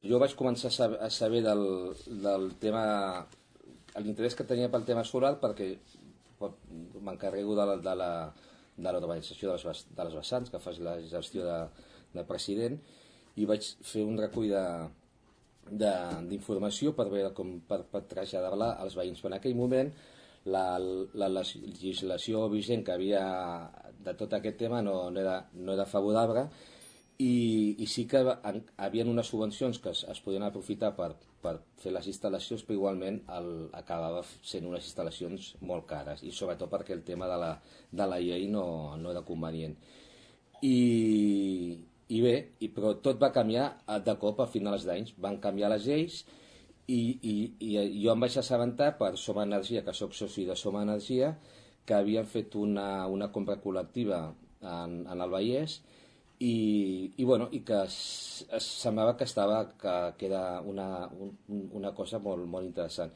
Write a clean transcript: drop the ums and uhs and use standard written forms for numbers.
jo vaig començar a saber del tema, l'interès que tenia pel tema solar, perquè m'encarrego de l'urbanització de les vessants, que fas la gestió de president, i vaig fer un recull d'informació per veure per traslladar-la als veïns. Però en aquell moment la legislació vigent que havia de tot aquest tema no era favorable, i sí que havia unes subvencions que es podien aprofitar per fer les instal·lacions, però igualment acabava sent unes instal·lacions molt cares, i sobretot perquè el tema de la llei no era convenient. I bé, però tot va canviar de cop a finals d'anys. Van canviar les lleis i jo em vaig assabentar per Som Energia, que sóc soci de Som Energia, que havien fet una compra col·lectiva en el Vallès, i que semblava que era una cosa molt, molt interessant.